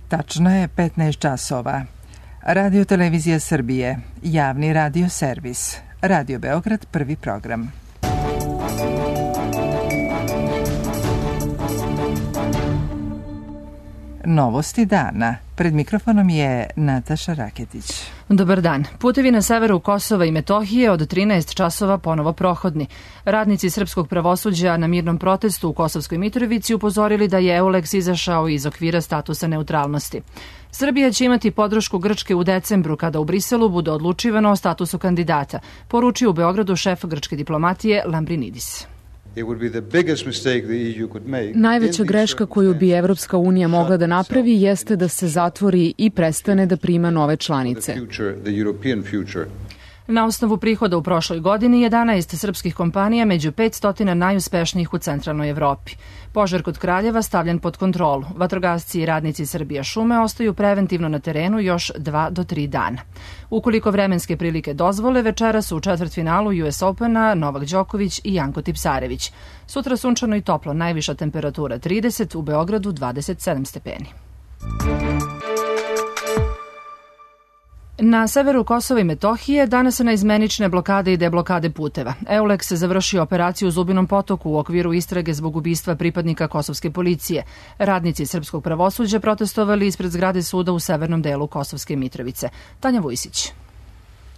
Tačno je 15 časova. Radio Televizija Srbije, javni radio servis. Radio Beograd, prvi program. Novosti dana. Pred mikrofonom je Nataša Raketić. Dobar dan. Putevi na severu Kosova i Metohije od 13 časova ponovo prohodni. Radnici srpskog pravosuđa na mirnom protestu u Kosovskoj Mitrovici upozorili da je EULEX izašao iz okvira statusa neutralnosti. Srbija će imati podršku Grčke u decembru kada u Briselu bude odlučivano o statusu kandidata, poručio u Beogradu šef grčke diplomatije Lambrinidis. Najveća greška koju bi Evropska unija mogla da napravi jeste da se zatvori i prestane da prima nove članice. Na osnovu prihoda u prošloj godini 11 srpskih kompanija među 500 najuspešnijih u centralnoj Evropi. Požar kod Kraljeva stavljen pod kontrolu. Vatrogasci i radnici Srbija šume ostaju preventivno na terenu još 2 do 3 dana. Ukoliko vremenske prilike dozvole, večeras u četvrtfinalu US Opena Novak Đoković i Janko Tipsarević. Sutra sunčano i toplo, najviša temperatura 30, u Beogradu 27 stepeni. Na severu Kosova i Metohije danas se naizmenične blokade i deblokade puteva. EULEX završio operaciju u Zubinom Potoku u okviru istrage zbog ubistva pripadnika kosovske policije. Radnici srpskog pravosuđa protestovali ispred zgrade suda u severnom delu Kosovske Mitrovice. Tanja Vujsić.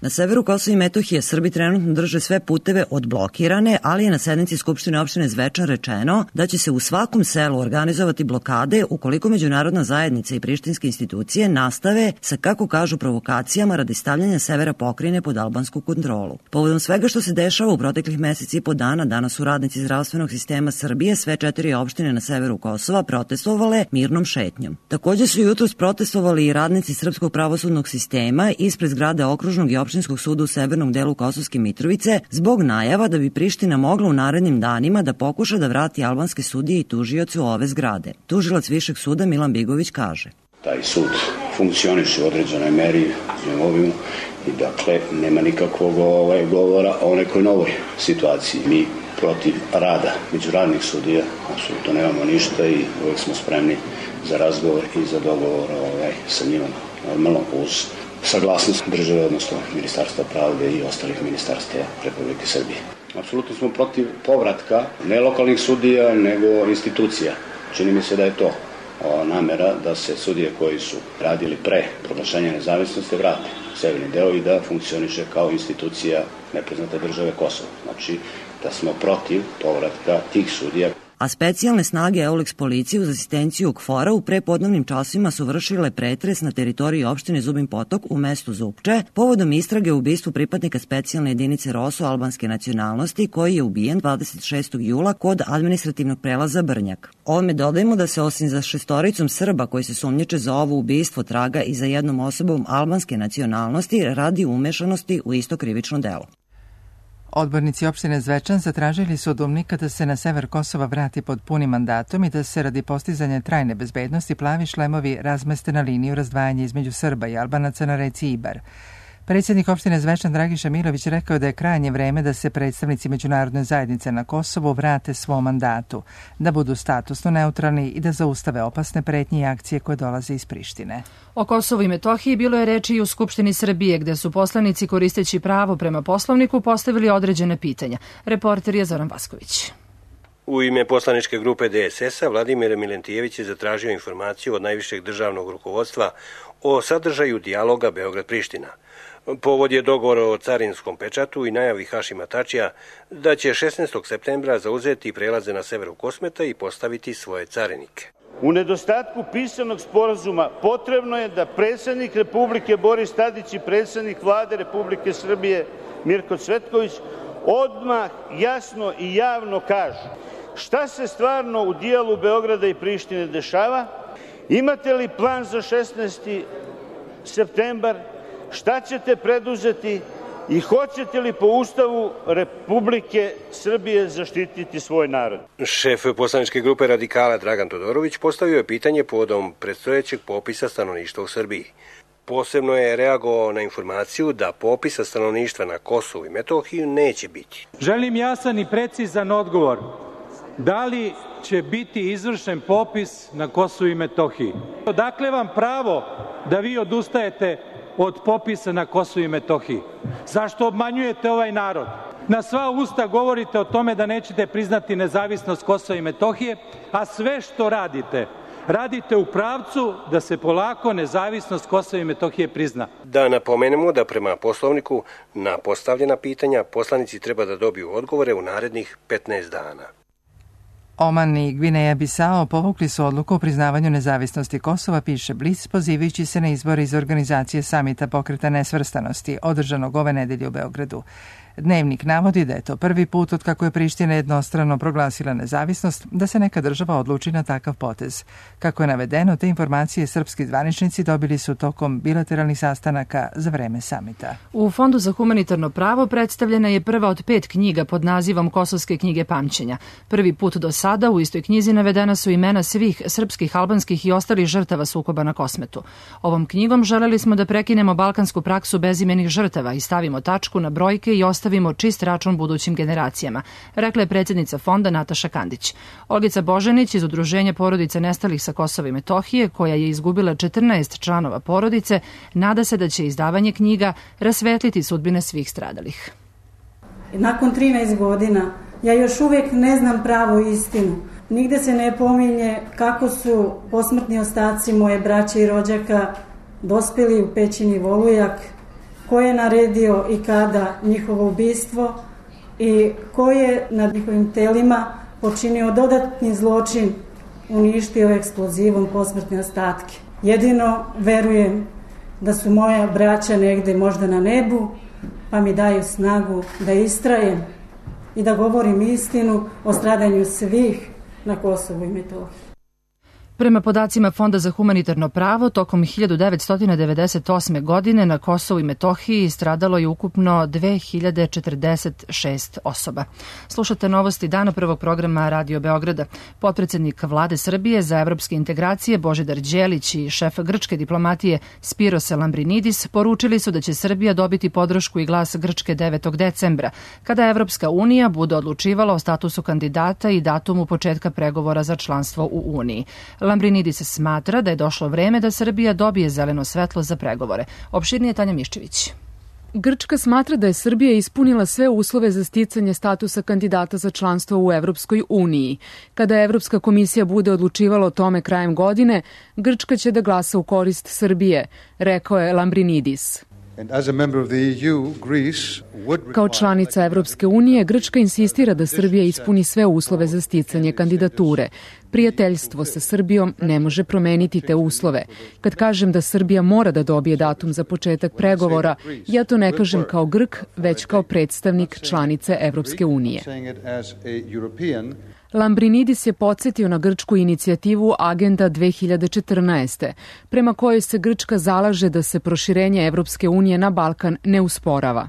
Na severu Kosova i Metohije Srbi trenutno drže sve puteve odblokirane, ali je na sednici Skupštine opštine Zvečan rečeno da će se u svakom selu organizovati blokade ukoliko međunarodna zajednica i prištinske institucije nastave sa, kako kažu, provokacijama radi stavljanja severa pokrajine pod albansku kontrolu. Povodom svega što se dešava u proteklih meseci i po dana, danas su radnici zdravstvenog sistema Srbije sve 4 opštine na severu Kosova protestovale mirnom šetnjom. Takođe su jutros protestovali i radnici srpskog pravosudnog sistema ispred zgrade okružnog i opštinskog suda u severnom delu Kosovske Mitrovice zbog najava da bi Priština mogla u narednim danima da pokuša da vrati albanske sudije i tužioce u ove zgrade. Tužilac Višeg suda Milan Bigović kaže: Taj sud funkcioniše u određenoj meri i dakle nema nikakvog govora o nekoj novoj situaciji. Mi protiv rada međunarodnih sudija apsolutno nemamo ništa i uvek smo spremni za razgovor i za dogovor sa njima, normalno uz saglasnost države, odnosno Ministarstva pravde i ostalih ministarstva Republike Srbije. Apsolutno smo protiv povratka ne lokalnih sudija, nego institucija. Čini mi se da je to namera da se sudije koji su radili pre proglašenja nezavisnosti vrate u severni deo i da funkcioniše kao institucija nepriznate države Kosovo. Znači da smo protiv povratka tih sudija. A specijalne snage EULEX policije uz asistenciju KFOR-a u prepodnevnim časima su vršile pretres na teritoriji opštine Zubin Potok u mestu Zupče povodom istrage o ubistvu pripadnika specijalne jedinice ROSU albanske nacionalnosti koji je ubijen 26. jula kod administrativnog prelaza Brnjak. Ovome dodajemo da se osim za 6 Srba koji se sumnjiče za ovo ubistvo traga i za jednom osobom albanske nacionalnosti radi umešanosti u isto krivično delo. Odbornici opštine Zvečan zatražili su od UMNIK-a da se na sever Kosova vrati pod punim mandatom i da se radi postizanja trajne bezbednosti plavi šlemovi razmeste na liniju razdvajanja između Srba i Albanaca na reci Ibar. Predsjednik opštine Zvečan Dragiša Milović rekao da je krajnje vreme da se predstavnici međunarodne zajednice na Kosovu vrate svom mandatu, da budu statusno neutralni i da zaustave opasne pretnje i akcije koje dolaze iz Prištine. O Kosovu i Metohiji bilo je reči i u Skupštini Srbije, gde su poslanici koristeći pravo prema Poslovniku postavili određene pitanja. Reporter je Zoran Vasković. U ime poslaničke grupe DSS-a Vladimir Milentijević je zatražio informaciju od najvišeg državnog rukovodstva o sadržaju dijaloga Beograd-Priština. Povod je dogovor o carinskom pečatu i najavi Hašima Tačija da će 16. septembra zauzeti prelaze na severu Kosmeta i postaviti svoje carinike. U nedostatku pisanog sporazuma potrebno je da predsjednik Republike Boris Tadić i predsjednik Vlade Republike Srbije Mirko Cvetković odmah jasno i javno kažu šta se stvarno u dijelu Beograda i Prištine dešava, imate li plan za 16. septembar, šta ćete preduzeti i hoćete li po Ustavu Republike Srbije zaštititi svoj narod? Šef poslaničke grupe Radikala Dragan Todorović postavio je pitanje povodom predstojećeg popisa stanovništva u Srbiji. Posebno je reagovao na informaciju da popisa stanovništva na Kosovu i Metohiji neće biti. Želim jasan i precizan odgovor da li će biti izvršen popis na Kosovu i Metohiji. Odakle vam pravo da vi odustajete od popisa na Kosovu i Metohiji? Zašto obmanjujete ovaj narod? Na sva usta govorite o tome da nećete priznati nezavisnost Kosova i Metohije, a sve što radite u pravcu da se polako nezavisnost Kosova i Metohije prizna. Da napomenemo da prema Poslovniku na postavljena pitanja poslanici treba da dobiju odgovore u narednih 15 dana. Oman i Gvineja Bisao povukli su odluku o priznavanju nezavisnosti Kosova, piše Blic, pozivajući se na izbore iz organizacije samita Pokreta nesvrstanosti, održanog ove nedelje u Beogradu. Dnevnik navodi da je to prvi put od kako je Priština jednostrano proglasila nezavisnost da se neka država odluči na takav potez. Kako je navedeno, te informacije srpski zvaničnici dobili su tokom bilateralnih sastanaka za vreme samita. U Fondu za humanitarno pravo predstavljena je prva od 5 knjiga pod nazivom Kosovske knjige pamćenja. Prvi put do sada u istoj knjizi navedena su imena svih srpskih, albanskih i ostalih žrtava sukoba na Kosmetu. Ovom knjigom želeli smo da prekinemo balkansku praksu bezimenih žrtava i stavimo tačku na brojke i ostavimo čist račun budućim generacijama, rekla je predsjednica fonda Nataša Kandić. Olgica Božanić iz Udruženja porodica nestalih sa Kosova i Metohije, koja je izgubila 14 članova porodice, nada se da će izdavanje knjiga rasvetliti sudbine svih stradalih. Nakon 13 godina ja još uvijek ne znam pravu istinu. Nigde se ne pominje kako su posmrtni ostaci moje braće i rođaka dospjeli u pećini Volujak, ko je naredio i kada njihovo ubistvo i ko je nad njihovim telima počinio dodatni zločin, uništio eksplozivom posmrtne ostatke. Jedino verujem da su moja braća negde možda na nebu, pa mi daju snagu da istrajem i da govorim istinu o stradanju svih na Kosovu i Metohiji. Prema podacima Fonda za humanitarno pravo, tokom 1998. godine na Kosovu i Metohiji stradalo je ukupno 2046 osoba. Slušate novosti dana prvog programa Radio Beograda. Potpredsednik Vlade Srbije za evropske integracije Božidar Đelić i šef grčke diplomatije Spiros Lambrinidis poručili su da će Srbija dobiti podršku i glas Grčke 9. decembra, kada Evropska unija bude odlučivala o statusu kandidata i datumu početka pregovora za članstvo u Uniji. Lambrinidis smatra da je došlo vreme da Srbija dobije zeleno svetlo za pregovore. Opširnije Tanja Miščević. Grčka smatra da je Srbija ispunila sve uslove za sticanje statusa kandidata za članstvo u Evropskoj uniji. Kada Evropska komisija bude odlučivala o tome krajem godine, Grčka će da glasa u korist Srbije, rekao je Lambrinidis. Kao članica Evropske unije, Grčka insistira da Srbija ispuni sve uslove za sticanje kandidature. Prijateljstvo sa Srbijom ne može promeniti te uslove. Kad kažem da Srbija mora da dobije datum za početak pregovora, ja to ne kažem kao Grk, već kao predstavnik članice Evropske unije. Lambrinidis je podsjetio na grčku inicijativu Agenda 2014. prema kojoj se Grčka zalaže da se proširenje Evropske unije na Balkan ne usporava.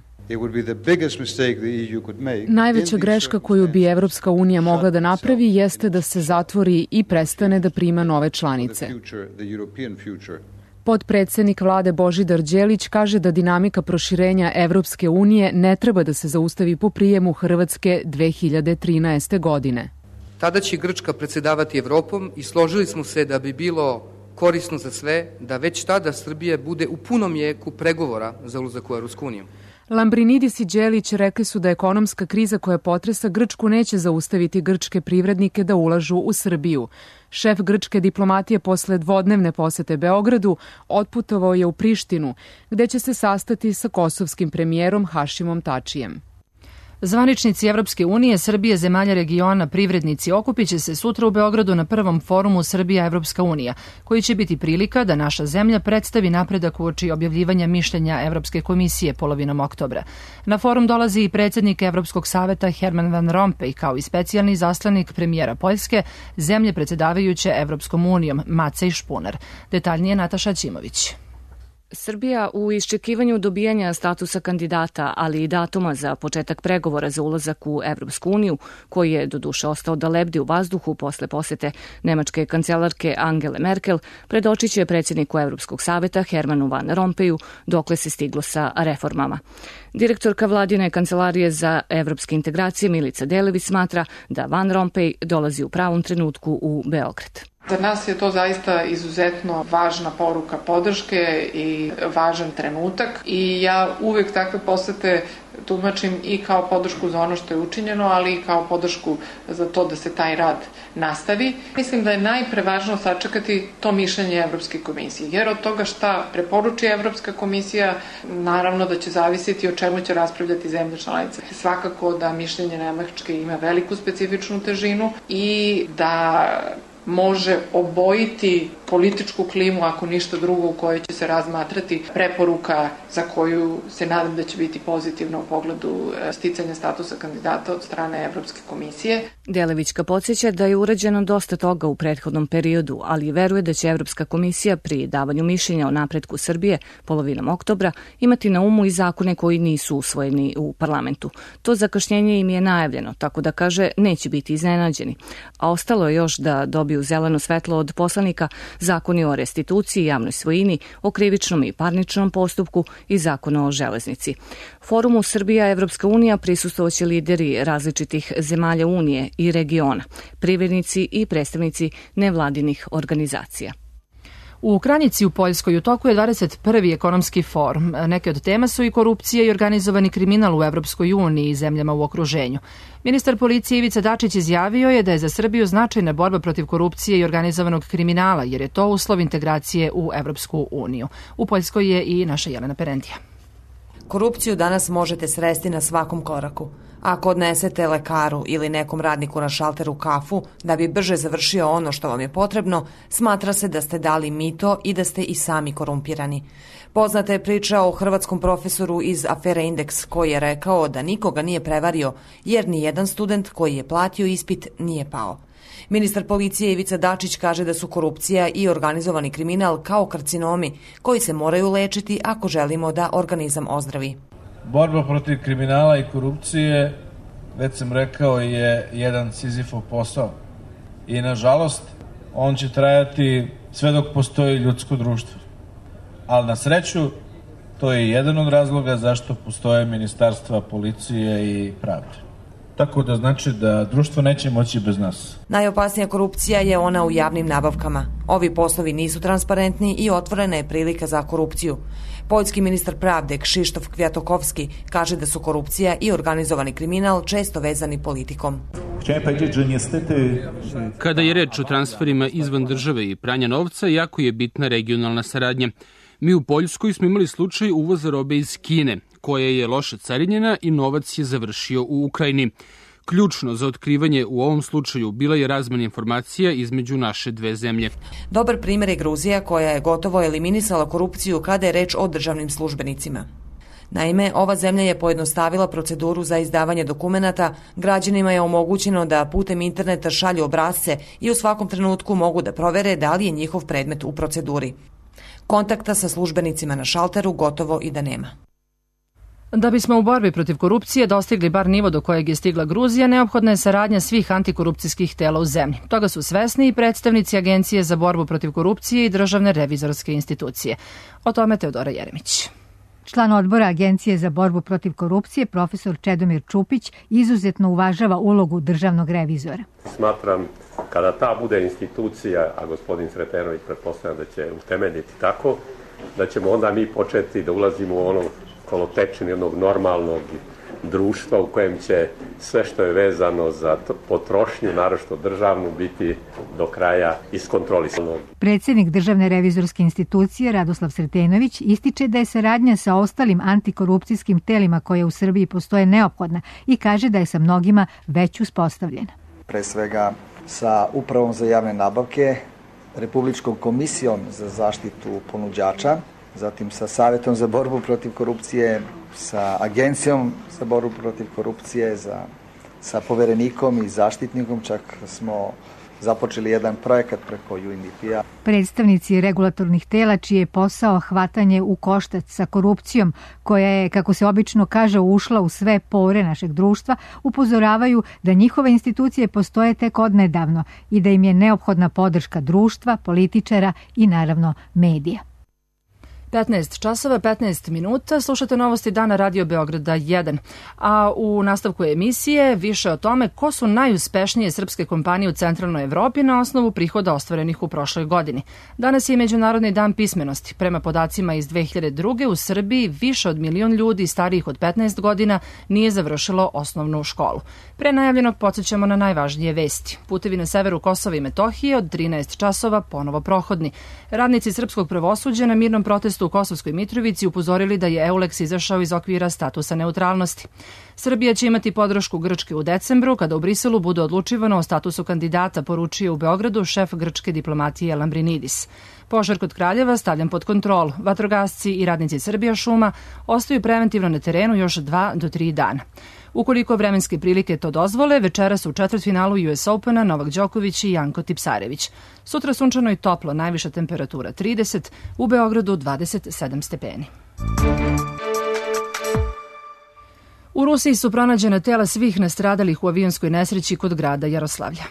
Najveća greška koju bi Evropska unija mogla da napravi jeste da se zatvori i prestane da prima nove članice. Potpredsednik vlade Božidar Đelić kaže da dinamika proširenja Evropske unije ne treba da se zaustavi po prijemu Hrvatske 2013. godine. Tada će Grčka predsedavati Evropom i složili smo se da bi bilo korisno za sve da već tada Srbija bude u punom jeku pregovora za ulazak u Evropsku uniju. Lambrinidis i Đelić rekli su da ekonomska kriza koja potresa Grčku neće zaustaviti grčke privrednike da ulažu u Srbiju. Šef grčke diplomatije posle dvodnevne posete Beogradu otputovao je u Prištinu, gde će se sastati sa kosovskim premijerom Hašimom Tačijem. Zvaničnici Evropske unije, Srbije, zemalja regiona, privrednici okupit će se sutra u Beogradu na prvom forumu Srbija-Evropska unija, koji će biti prilika da naša zemlja predstavi napredak uoči objavljivanja mišljenja Evropske komisije polovinom oktobra. Na forum dolazi i predsjednik Evropskog saveta Herman Van Rompuy, kao i specijalni zaslanik premijera Poljske, zemlje predsjedavajuće Evropskom unijom, Macej Špunar. Detaljnije Nataša Ćimović. Srbija u iščekivanju dobijanja statusa kandidata, ali i datuma za početak pregovora za ulazak u Evropsku uniju, koji je doduše ostao da lebdi u vazduhu posle posete nemačke kancelarke Angele Merkel, predočit će predsjedniku Evropskog saveta Hermanu Van Rompuyu dokle se stiglo sa reformama. Direktorka vladine kancelarije za evropske integracije Milica Delević smatra da Van Rompuy dolazi u pravom trenutku u Beograd. Za nas je to zaista izuzetno važna poruka podrške i važan trenutak i ja uvek takve posete tumačim i kao podršku za ono što je učinjeno, ali i kao podršku za to da se taj rad nastavi. Mislim da je najprevažno sačekati to mišljenje Evropske komisije, jer od toga šta preporuči Evropska komisija, naravno da će zavisiti o čemu će raspravljati zemlje članice. Svakako da mišljenje Nemačke ima veliku specifičnu težinu i da može obojiti političku klimu, ako ništa drugo, u kojoj će se razmatrati preporuka za koju se nadam da će biti pozitivna u pogledu sticanja statusa kandidata od strane Evropske komisije. Delevićka podsjeća da je urađeno dosta toga u prethodnom periodu, ali veruje da će Evropska komisija pri davanju mišljenja o napretku Srbije polovinom oktobra imati na umu i zakone koji nisu usvojeni u parlamentu. To zakašnjenje im je najavljeno, tako da kaže neće biti iznenađeni. A ostalo je još da dobiju zeleno svetlo od poslanika zakoni o restituciji, javnoj svojini, o krivičnom i parničnom postupku i zakonu o železnici. Forumu Srbija-Evropska unija prisustvovaće lideri različitih zemalja Unije i regiona, privrednici i predstavnici nevladinih organizacija. U Kranjici u Poljskoj u toku je 21. ekonomski forum. Neke od tema su i korupcija i organizovani kriminal u Evropskoj uniji i zemljama u okruženju. Ministar policije Ivica Dačić izjavio je da je za Srbiju značajna borba protiv korupcije i organizovanog kriminala, jer je to uslov integracije u Evropsku uniju. U Poljskoj je i naša Jelena Perentija. Korupciju danas možete sresti na svakom koraku. Ako odnesete lekaru ili nekom radniku na šalteru kafu da bi brže završio ono što vam je potrebno, smatra se da ste dali mito i da ste i sami korumpirani. Poznata je priča o hrvatskom profesoru iz afere Indeks koji je rekao da nikoga nije prevario jer ni jedan student koji je platio ispit nije pao. Ministar policije Ivica Dačić kaže da su korupcija i organizovani kriminal kao karcinomi koji se moraju lečiti ako želimo da organizam ozdravi. Borba protiv kriminala i korupcije, već sam rekao, je jedan Sizifov posao. I nažalost, on će trajati sve dok postoji ljudsko društvo. Ali na sreću, to je jedan od razloga zašto postoje ministarstva policije i pravde. Tako da znači da društvo neće moći bez nas. Najopasnija korupcija je ona u javnim nabavkama. Ovi poslovi nisu transparentni i otvorena je prilika za korupciju. Poljski ministar pravde Krzysztof Kwiatkowski kaže da su korupcija i organizovani kriminal često vezani politikom. Kada je reč o transferima izvan države i pranja novca, jako je bitna regionalna saradnja. Mi u Poljskoj smo imali slučaj uvoza robe iz Kine, koja je loše carinjena i novac je završio u Ukrajini. Ključno za otkrivanje u ovom slučaju bila je razmena informacija između naše dve zemlje. Dobar primjer je Gruzija koja je gotovo eliminisala korupciju kada je reč o državnim službenicima. Naime, ova zemlja je pojednostavila proceduru za izdavanje dokumenata, građanima je omogućeno da putem interneta šalju obrasce i u svakom trenutku mogu da provere da li je njihov predmet u proceduri. Kontakta sa službenicima na šalteru gotovo i da nema. Da bismo u borbi protiv korupcije dostigli bar nivo do kojeg je stigla Gruzija, neophodna je saradnja svih antikorupcijskih tela u zemlji. Toga su svesni i predstavnici Agencije za borbu protiv korupcije i Državne revizorske institucije. O tome Teodora Jeremić. Član odbora Agencije za borbu protiv korupcije, profesor Čedomir Čupić, izuzetno uvažava ulogu državnog revizora. Smatram, kada ta bude institucija, a gospodin Sretenović pretpostavlja da će utemeljiti tako, da ćemo onda mi početi da ulazimo u ono kolotečinu jednog normalnog društva u kojem će sve što je vezano za potrošnju, naročito državnu, biti do kraja iskontrolisano. Predsjednik Državne revizorske institucije Radoslav Sretenović ističe da je saradnja sa ostalim antikorupcijskim telima koje u Srbiji postoje neophodna i kaže da je sa mnogima već uspostavljena. Pre svega sa Upravom za javne nabavke, Republičkom komisijom za zaštitu ponuđača, zatim sa Savjetom za borbu protiv korupcije, sa Agencijom za borbu protiv korupcije, sa poverenikom i zaštitnikom, čak smo započeli jedan projekat preko UNDP-a. Predstavnici regulatornih tela čiji je posao hvatanje u koštac sa korupcijom, koja je, kako se obično kaže, ušla u sve pore našeg društva, upozoravaju da njihove institucije postoje tek odnedavno i da im je neophodna podrška društva, političara i naravno medija. 15 časova, 15 minuta, slušate novosti dana Radio Beograda 1. A u nastavku emisije više o tome ko su najuspešnije srpske kompanije u centralnoj Evropi na osnovu prihoda ostvarenih u prošloj godini. Danas je Međunarodni dan pismenosti. Prema podacima iz 2002. u Srbiji više od 1 milion ljudi starijih od 15 godina nije završilo osnovnu školu. Pre najavljenog podsjećamo na najvažnije vesti. Putevi na severu Kosova i Metohije od 13 časova ponovo prohodni. Radnici srpskog pravosuđa na mirnom protestu u Kosovskoj Mitrovici upozorili da je EULEX izašao iz okvira statusa neutralnosti. Srbija će imati podršku Grčke u decembru, kada u Briselu bude odlučivano o statusu kandidata, poručio u Beogradu šef grčke diplomatije Lambrinidis. Požar kod Kraljeva stavljen pod kontrolu. Vatrogasci i radnici Srbija šuma ostaju preventivno na terenu još 2 do 3 dana. Ukoliko vremenske prilike to dozvole, večeras u četvrtfinalu US Opena Novak Đoković i Janko Tipsarević. Sutra sunčano i toplo, najviša temperatura 30, u Beogradu 27 stepeni. U Rusiji su pronađena tela svih nastradalih u avionskoj nesreći kod grada Jaroslavlja.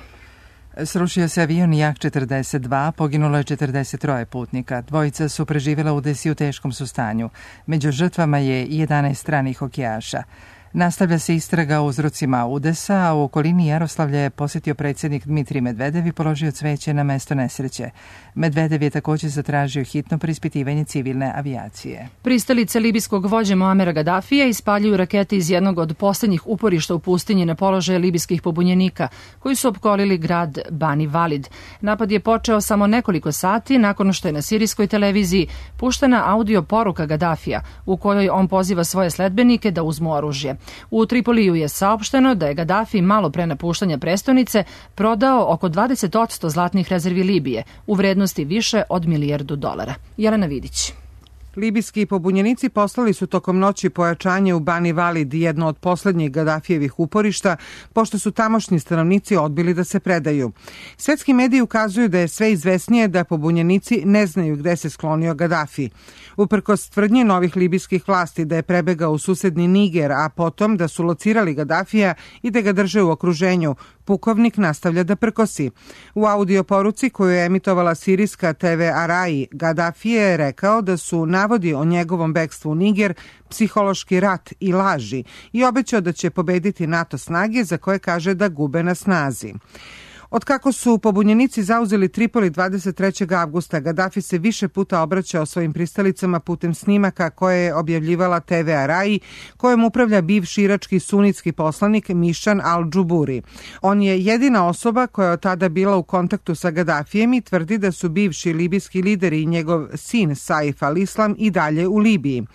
Srušio se avion Jak-42, poginulo je 43 putnika. Dvojica su preživjela udes i u teškom su stanju. Među žrtvama je 11 stranih hokejaša. Nastavlja se istraga o uzrocima udesa, a u okolini Jaroslavlja je posjetio predsjednik Dmitrij Medvedev i položio cveće na mesto nesreće. Medvedev je također zatražio hitno preispitivanje civilne avijacije. Pristalice libijskog vođe Muamera Gadafija ispaljuju rakete iz jednog od posljednjih uporišta u pustinji na položaje libijskih pobunjenika, koji su opkolili grad Bani Valid. Napad je počeo samo nekoliko sati nakon što je na sirijskoj televiziji puštena audio poruka Gadafija, u kojoj on poziva svoje sledbenike da uzmu oružje. U Tripoliju je saopšteno da je Gadafi malo pre napuštanja prestonice prodao oko 20% zlatnih rezervi Libije u vrednosti više od $1 milijardu. Jelena Vidić. Libijski pobunjenici poslali su tokom noći pojačanje u Bani Valid, jedno od posljednjih Gadafijevih uporišta, pošto su tamošnji stanovnici odbili da se predaju. Svetski mediji ukazuju da je sve izvesnije da pobunjenici ne znaju gde se sklonio Gadafi. Uprkos tvrdnji novih libijskih vlasti da je prebegao u susedni Niger, a potom da su locirali Gadafija i da ga drže u okruženju, pukovnik nastavlja da prkosi. U audio poruci koju je emitovala sirijska TV Arai, Gadafi je rekao da su navodi o njegovom bekstvu u Niger psihološki rat i laži i obećao da će pobediti NATO snage za koje kaže da gube na snazi. Od kako su pobunjenici zauzeli Tripoli 23. avgusta, Gadafi se više puta obraćao svojim pristalicama putem snimaka koje je objavljivala TV Arai, kojem upravlja bivši irački sunitski poslanik Mišan al-Džuburi. On je jedina osoba koja je od tada bila u kontaktu sa Gadafijem i tvrdi da su bivši libijski lideri i njegov sin Saif al-Islam i dalje u Libiji.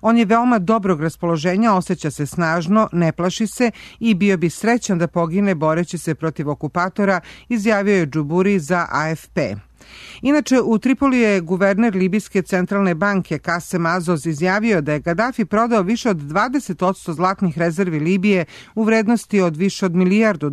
On je veoma dobrog raspoloženja, osjeća se snažno, ne plaši se i bio bi srećan da pogine boreći se protiv okupatora, izjavio je Džuburi za AFP. Inače, u Tripoli je guverner Libijske centralne banke Kasem Azoz izjavio da je Gadafi prodao više od 20% zlatnih rezervi Libije u vrednosti od više od $1 milijardu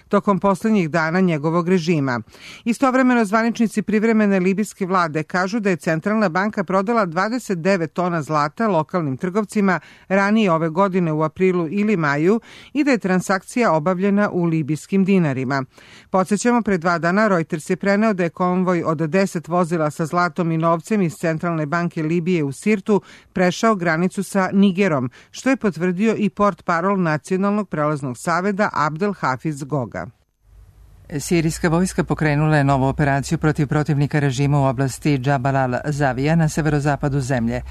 tokom posljednjih dana njegovog režima. Istovremeno, zvaničnici privremene libijske vlade kažu da je centralna banka prodala 29 tona zlata lokalnim trgovcima ranije ove godine u aprilu ili maju i da je transakcija obavljena u libijskim dinarima. Podsjećamo, pre 2 dana Reuters je preneo da je konvoj od 10 vozila sa zlatom i novcem iz Centralne banke Libije u Sirtu prešao granicu sa Nigerom, što je potvrdio i portparol Nacionalnog prelaznog saveza Abdel Hafiz Goga. Sirijska vojska pokrenula je novu operaciju protiv protivnika režima u oblasti Džabal al-Zavija na severozapadu zemlje.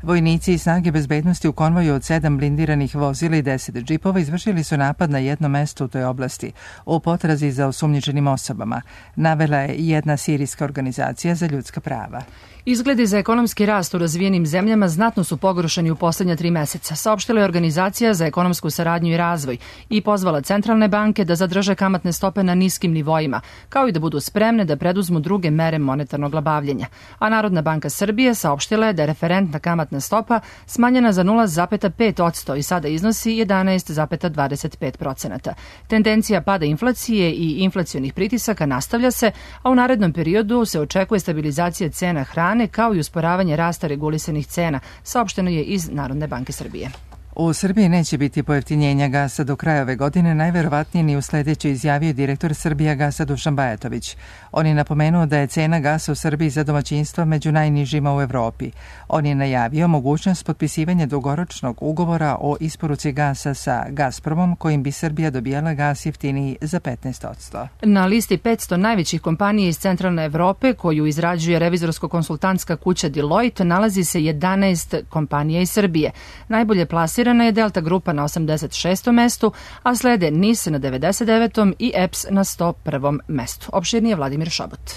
Vojnici i snage bezbednosti u konvoju od 7 blindiranih vozila i 10 džipova izvršili su napad na jedno mesto u toj oblasti u potrazi za osumnjičenim osobama, navela je jedna sirijska organizacija za ljudska prava. Izgledi za ekonomski rast u razvijenim zemljama znatno su pogoršani u posljednja 3 meseca, saopštila je Organizacija za ekonomsku saradnju i razvoj i pozvala centralne banke da zadrže kamatne stope na niskim nivoima, kao i da budu spremne da preduzmu druge mere monetarnog bavljenja. A Narodna banka Srbije saopštila je da je referentna kamatna kamatna stopa smanjena za 0,5% i sada iznosi 11,25%. Tendencija pada inflacije i inflacionih pritisaka nastavlja se, a u narednom periodu se očekuje stabilizacija cena hrane kao i usporavanje rasta regulisanih cena, saopšteno je iz Narodne banke Srbije. U Srbiji neće biti pojeftinjenja gasa do kraja ove godine, najverovatnije ni u sledećoj, izjavio direktor Srbijagasa Dušan Bajatović. On je napomenuo da je cena gasa u Srbiji za domaćinstva među najnižima u Evropi. On je najavio mogućnost potpisivanja dugoročnog ugovora o isporuci gasa sa Gazpromom, kojim bi Srbija dobijala gas jeftiniji za 15%. Na listi 500 najvećih kompanija iz centralne Evrope, koju izrađuje revizorsko-konsultantska kuća Deloitte, nalazi se 11 kompanija iz Srbije. Najbolje plasirana je Delta grupa na 86. mestu, a slede NIS na 99. i EPS na 101. mestu. Opširnije Vladimir Šabot.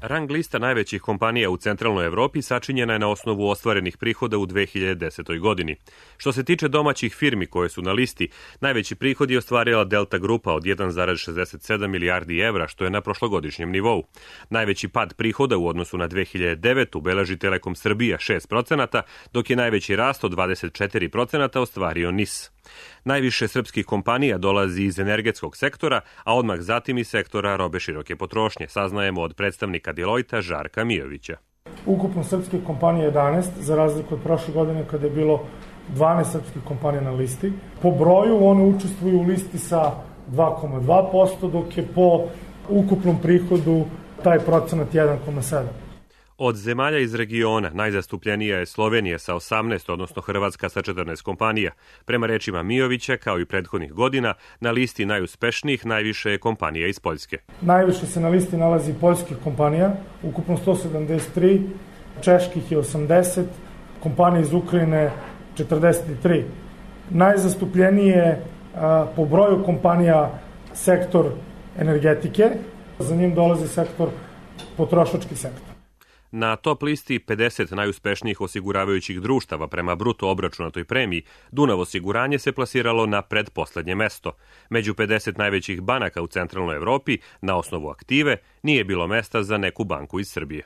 Rang lista najvećih kompanija u centralnoj Evropi sačinjena je na osnovu ostvarenih prihoda u 2010. godini. Što se tiče domaćih firmi koje su na listi, najveći prihod je ostvarila Delta grupa od 1,67 milijardi evra, što je na prošlogodišnjem nivou. Najveći pad prihoda u odnosu na 2009. beleži Telekom Srbija 6%, dok je najveći rast od 24% ostvario NIS. Najviše srpskih kompanija dolazi iz energetskog sektora, a odmah zatim iz sektora robe široke potrošnje, saznajemo od predstavnika Deloitta Žarka Mijovića. Ukupno srpskih kompanija 11, za razliku od prošle godine kada je bilo 12 srpskih kompanija na listi. Po broju one učestvuju u listi sa 2,2%, dok je po ukupnom prihodu taj procenat 1,7%. Od zemalja iz regiona najzastupljenija je Slovenija sa 18, odnosno Hrvatska sa 14 kompanija. Prema rečima Mijovića, kao i prethodnih godina, na listi najuspešnijih najviše je kompanija iz Poljske. Najviše se na listi nalazi poljskih kompanija, ukupno 173, čeških je 80, kompanija iz Ukrajine 43. Najzastupljenije po broju kompanija sektor energetike, za njim dolazi sektor potrošački sektor. Na top listi 50 najuspešnijih osiguravajućih društava prema bruto obračunatoj premiji, Dunav osiguranje se plasiralo na predposlednje mesto. Među 50 najvećih banaka u centralnoj Evropi, na osnovu aktive, nije bilo mesta za neku banku iz Srbije.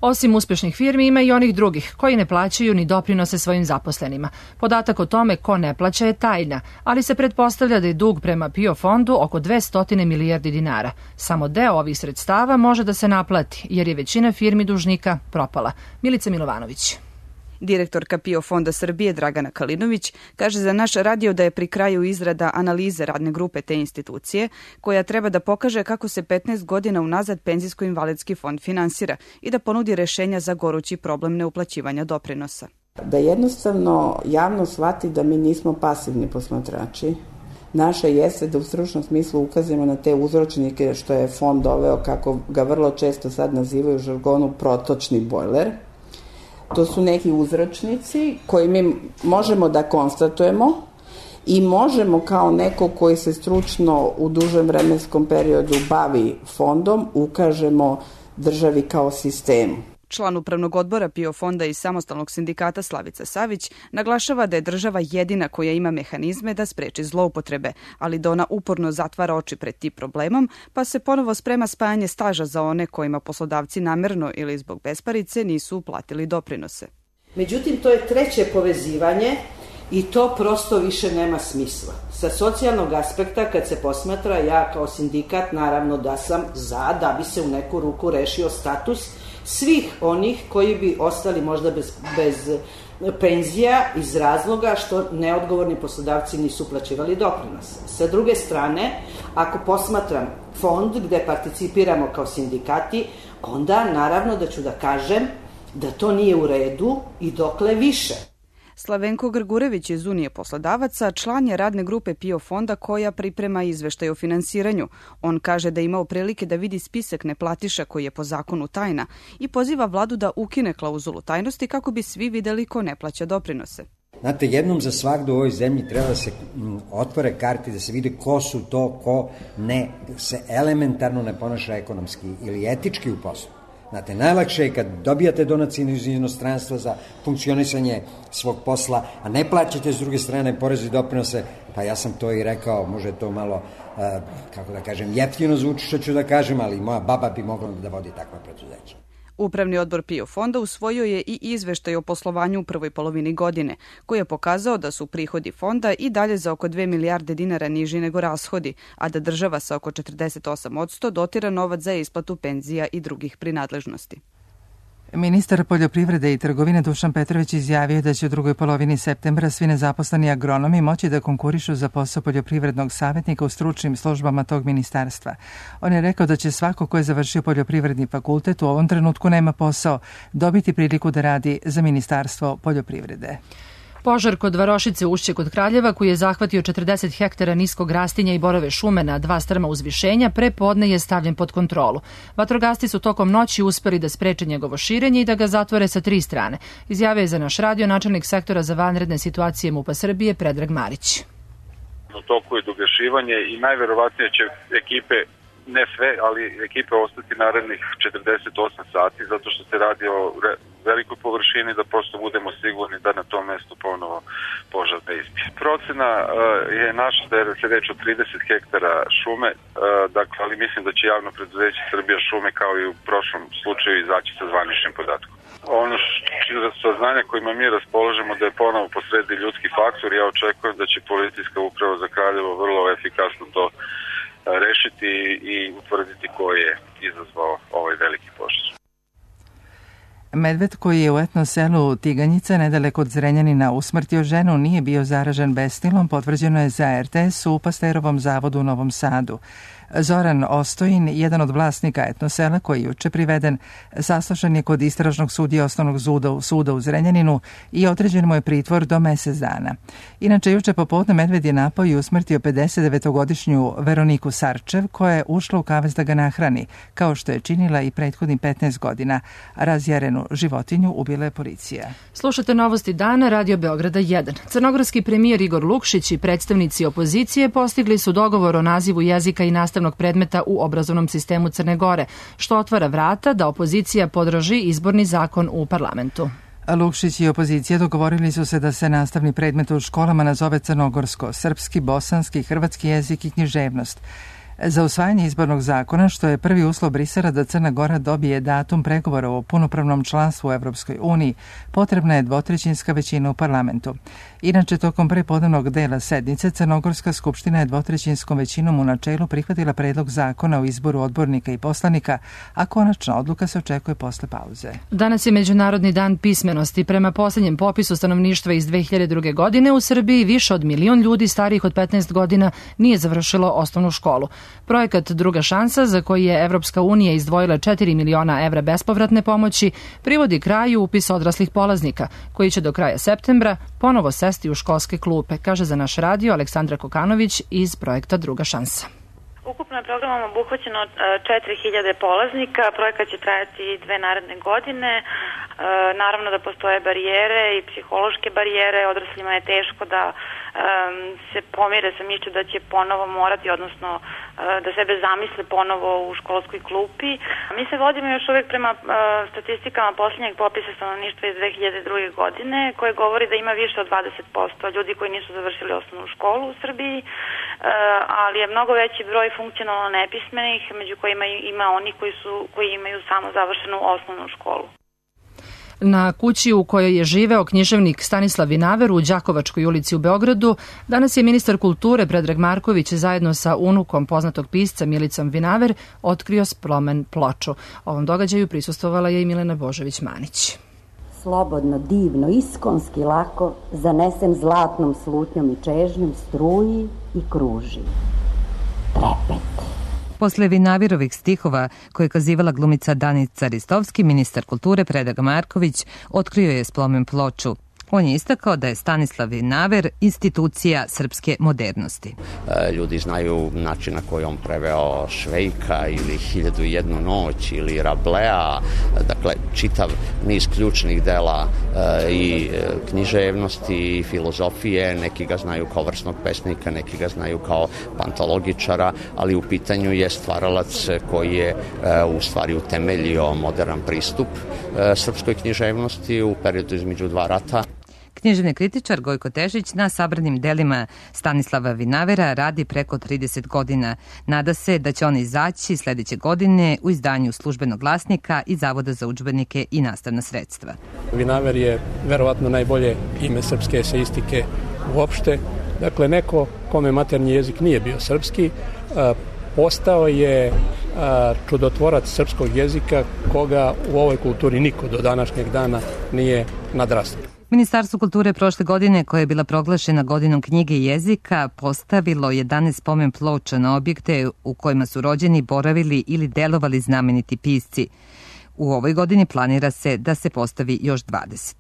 Osim uspešnih firmi ima i onih drugih koji ne plaćaju ni doprinose svojim zaposlenima. Podatak o tome ko ne plaća je tajna, ali se pretpostavlja da je dug prema PIO fondu oko 200 milijardi dinara. Samo deo ovih sredstava može da se naplati, jer je većina firmi dužnika propala. Milica Milovanović. Direktorka PIO fonda Srbije Dragana Kalinović kaže za naš radio da je pri kraju izrada analize radne grupe te institucije, koja treba da pokaže kako se 15 godina unazad penzijsko-invalidski fond finansira i da ponudi rešenja za gorući problem neuplaćivanja doprinosa. Da jednostavno javno shvati da mi nismo pasivni posmatrači. Naše jeste da u stručnom smislu ukazujemo na te uzročnike što je fond doveo, kako ga vrlo često sad nazivaju u žargonu, protočni bojler. To su neki uzročnici koji mi možemo da konstatujemo i možemo kao neko koji se stručno u dužem vremenskom periodu bavi fondom, ukažemo državi kao sistemu. Član upravnog odbora PIO fonda i samostalnog sindikata Slavica Savić naglašava da je država jedina koja ima mehanizme da spreči zloupotrebe, ali da ona uporno zatvara oči pred tim problemom, pa se ponovo sprema spajanje staža za one kojima poslodavci namerno ili zbog besparice nisu uplatili doprinose. Međutim, to je treće povezivanje i to prosto više nema smisla. Sa socijalnog aspekta, kad se posmatra, ja kao sindikat naravno da sam za da bi se u neku ruku rešio status svih onih koji bi ostali možda bez penzija iz razloga što neodgovorni poslodavci nisu uplaćivali doprinos. Sa druge strane, ako posmatram fond gde participiramo kao sindikati, onda naravno da ću da kažem da to nije u redu i dokle više. Slavenko Grgurević iz Unije poslodavaca član je radne grupe PIO fonda koja priprema izveštaj o finansiranju. On kaže da je imao prilike da vidi spisak neplatiša koji je po zakonu tajna i poziva vladu da ukine klauzulu tajnosti kako bi svi videli ko ne plaća doprinose. Znate, jednom za svakdo u ovoj zemlji treba da se otvore karte, da se vide ko su to, ko ne se elementarno ne ponaša ekonomski ili etički u poslu. Znate, najlakše je kad dobijate donacije iz inostranstva za funkcionisanje svog posla, a ne plaćate s druge strane poreze i doprinose, pa ja sam to i rekao, može to malo, kako da kažem, jeftino zvuči što ću da kažem, ali moja baba bi mogla da vodi takva preduzeća. Upravni odbor PIO fonda usvojio je i izveštaj o poslovanju u prvoj polovini godine, koji je pokazao da su prihodi fonda i dalje za oko 2 milijarde dinara niži nego rashodi, a da država sa oko 48% dotira novac za isplatu penzija i drugih prinadležnosti. Ministar poljoprivrede i trgovine Dušan Petrović izjavio da će u drugoj polovini septembra svi nezaposleni agronomi moći da konkurišu za posao poljoprivrednog savjetnika u stručnim službama tog ministarstva. On je rekao da će svako ko je završio poljoprivredni fakultet u ovom trenutku nema posao dobiti priliku da radi za Ministarstvo poljoprivrede. Požar kod Varošice Ušće kod Kraljeva, koji je zahvatio 40 hektara niskog rastinja i borove šume na 2 strma uzvišenja, pre podne je stavljen pod kontrolu. Vatrogasci su tokom noći uspeli da spreče njegovo širenje i da ga zatvore sa 3 strane. Izjavio je za naš radio načelnik sektora za vanredne situacije MUP-a Srbije Predrag Marić. U toku je dogašivanje i najverovatnije će ekipe, ne sve, ali ekipe ostati narednih 48 sati, zato što se radi o velikoj površini, da prosto budemo sigurni da na tom mestu ponovo požar ne izbije. Procena je naša da je se reč o 30 hektara šume, dakle, ali mislim da će javno preduzeće Srbija šume kao i u prošlom slučaju izaći sa zvaničnim podatkom. Ono saznanja kojima mi raspolažemo da je ponovo posredi ljudski faktor, ja očekujem da će policijska uprava za Kraljevo vrlo efikasno to rešiti i utvrditi ko je izazvao ovaj veliki požar. Medved koji je u etno selu Tiganjica nedaleko od Zrenjanina usmrtio ženu nije bio zaražen bestilom, potvrđeno je za RTS u Pasterovom zavodu u Novom Sadu. Zoran Ostojin, jedan od vlasnika etnosela koji je juče priveden, saslušan je kod istražnog sudija osnovnog suda u Zrenjaninu i određen mu je pritvor do mesec dana. Inače, juče popodne medved je napao i usmrtio 59-godišnju Veroniku Sarčev, koja je ušla u kavez da ga nahrani, kao što je činila i prethodnih 15 godina. Razjarenu životinju ubila je policija. Slušate novosti dana, Radio Beograda 1. Crnogorski premijer Igor Lukšić i predstavnici opozicije postigli su dogovor o nazivu jezika i nastavnog predmeta u obrazovnom sistemu Crne Gore, što otvara vrata da opozicija podrži izborni zakon u parlamentu. Lukšić i opozicija dogovorili su se da se nastavni predmet u školama nazove crnogorsko, srpski, bosanski, hrvatski jezik i književnost. Za usvajanje izbornog zakona, što je prvi uslov Brisela da Crna Gora dobije datum pregovora o punopravnom članstvu u Evropskoj uniji, potrebna je 2/3 većina u parlamentu. Inače, tokom prepodnevnog dela sednice, Crnogorska skupština je 2/3 većinom u načelu prihvatila predlog zakona o izboru odbornika i poslanika, a konačna odluka se očekuje posle pauze. Danas je Međunarodni dan pismenosti. Prema posljednjem popisu stanovništva iz 2002. godine u Srbiji više od 1 milion ljudi starijih od 15 godina nije završilo osnovnu školu. Projekat Druga šansa, za koji je Evropska unija izdvojila 4 miliona evra bespovratne pomoći, privodi kraju upis odraslih polaznika, koji će do kraja septembra ponovo sesti u školske klupe, kaže za naš radio Aleksandra Kokanović iz projekta Druga šansa. Ukupno je programom obuhvaćeno 4000 polaznika, projekat će trajati 2 naredne godine. Naravno da postoje barijere i psihološke barijere, odraslima je teško da se pomire sa mišlju da će ponovo morati, odnosno da sebe zamisle ponovo u školskoj klupi. Mi se vodimo još uvijek prema statistikama posljednjeg popisa stanovništva iz 2002. godine, koje govori da ima više od 20% ljudi koji nisu završili osnovnu školu u Srbiji, ali je mnogo veći broj funkcionalno nepismenih, među kojima ima oni koji imaju samo završenu osnovnu školu. Na kući u kojoj je živeo književnik Stanislav Vinaver u Đakovačkoj ulici u Beogradu, danas je ministar kulture Predrag Marković zajedno sa unukom poznatog pisca Milicom Vinaver otkrio spomen ploču. Ovom događaju prisustvovala je i Milena Božović-Manić. Slobodno, divno, iskonski lako, zanesen zlatnom slutnjom i čežnjom, struji i kruži. Trepet. Posle Vinaverovih stihova koje je kazivala glumica Danica Ristovski, ministar kulture Predrag Marković otkrio je spomen ploču. On je istakao da je Stanislav Vinaver institucija srpske modernosti. Ljudi znaju način na koji on preveo Švejka ili 1001 noć ili Rablea, dakle čitav niz ključnih dela i književnosti i filozofije. Neki ga znaju kao vrsnog pesnika, neki ga znaju kao pantologičara, ali u pitanju je stvaralac koji je u stvari utemeljio moderan pristup srpskoj književnosti u periodu između 2 rata. Književni kritičar Gojko Tešić na sabranim delima Stanislava Vinavera radi preko 30 godina. Nada se da će on izaći sledeće godine u izdanju Službenog glasnika i Zavoda za udžbenike i nastavna sredstva. Vinaver je verovatno najbolje ime srpske eseistike uopšte. Dakle, neko kome maternji jezik nije bio srpski, postao je čudotvorac srpskog jezika koga u ovoj kulturi niko do današnjeg dana nije nadrastao. Ministarstvo kulture prošle godine, koja je bila proglašena godinom knjige i jezika, postavilo 11 spomen ploča na objekte u kojima su rođeni, boravili ili delovali znameniti pisci. U ovoj godini planira se da se postavi još 20.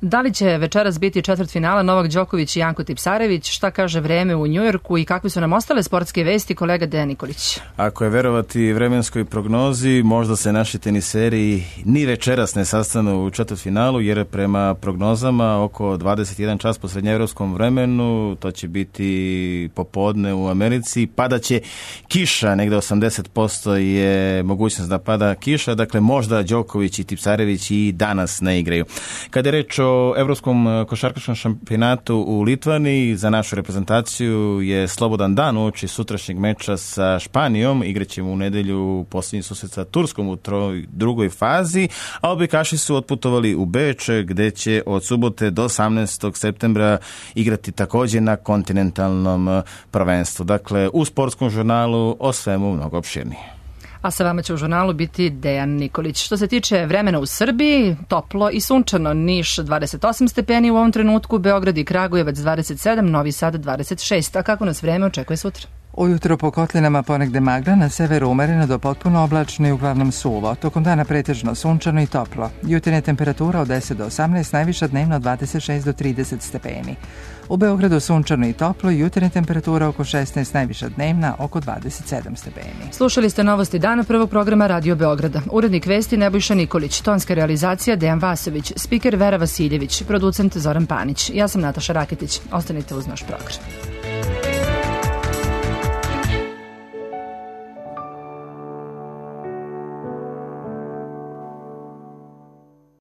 Da li će večeras biti četvrtfinala Novak Đoković i Janko Tipsarević? Šta kaže vreme u Njujorku i kakve su nam ostale sportske vesti, kolega Dejan Nikolić? Ako je verovati vremenskoj prognozi, možda se naši teniseri ni večeras ne sastanu u četvrtfinalu, jer prema prognozama oko 21 čas po srednjeevropskom vremenu, to će biti popodne u Americi, padaće kiša, negde 80% je mogućnost da pada kiša, dakle možda Đoković i Tipsarević i danas ne igraju. Kada je reč o Evropskom košarkaškom šampionatu u Litvaniji, za našu reprezentaciju je slobodan dan uoči sutrašnjeg meča sa Španijom. Igraćemo u nedelju posljednji susret sa Turskom u drugoj fazi, a odbojkaši su otputovali u Beč, gde će od subote do 18. septembra igrati takođe na kontinentalnom prvenstvu. Dakle, u sportskom žurnalu o svemu mnogo opširnije. A sa vama će u žurnalu biti Dejan Nikolić. Što se tiče vremena u Srbiji, toplo i sunčano. Niš 28 stepeni u ovom trenutku, Beograd i Kragujevac 27, Novi Sad 26. A kako nas vreme očekuje sutra? Ujutro po kotlinama ponegde magla, na severu umereno do potpuno oblačno i uglavnom suvo. Tokom dana pretežno sunčano i toplo. Jutarnja temperatura od 10 do 18, najviša dnevno od 26 do 30 stepeni. U Beogradu sunčano i toplo, jutarnja temperatura oko 16, najviša dnevna oko 27 stepeni. Slušali ste novosti dana prvog programa Radio Beograda. Urednik vesti Nebojša Nikolić, tonska realizacija Dejan Vasović, spiker Vera Vasiljević, producent Zoran Panić. Ja sam Nataša Raketić. Ostanite uz naš program.